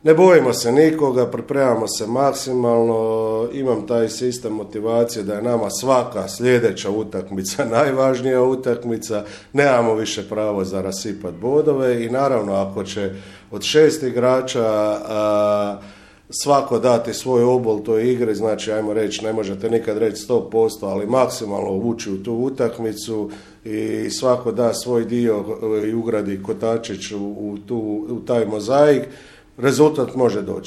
Ne bojimo se nikoga, pripremamo se maksimalno, imam taj sistem motivacije da je nama svaka sljedeća utakmica najvažnija utakmica, nemamo više pravo za rasipati bodove i naravno ako će od 6 igrača svako dati svoj obol toj igri, znači ajmo reći, ne možete nikad reći 100%, ali maksimalno ući u tu utakmicu i svako da svoj dio i ugradi kotačić u taj mozaik, rezultat može doći.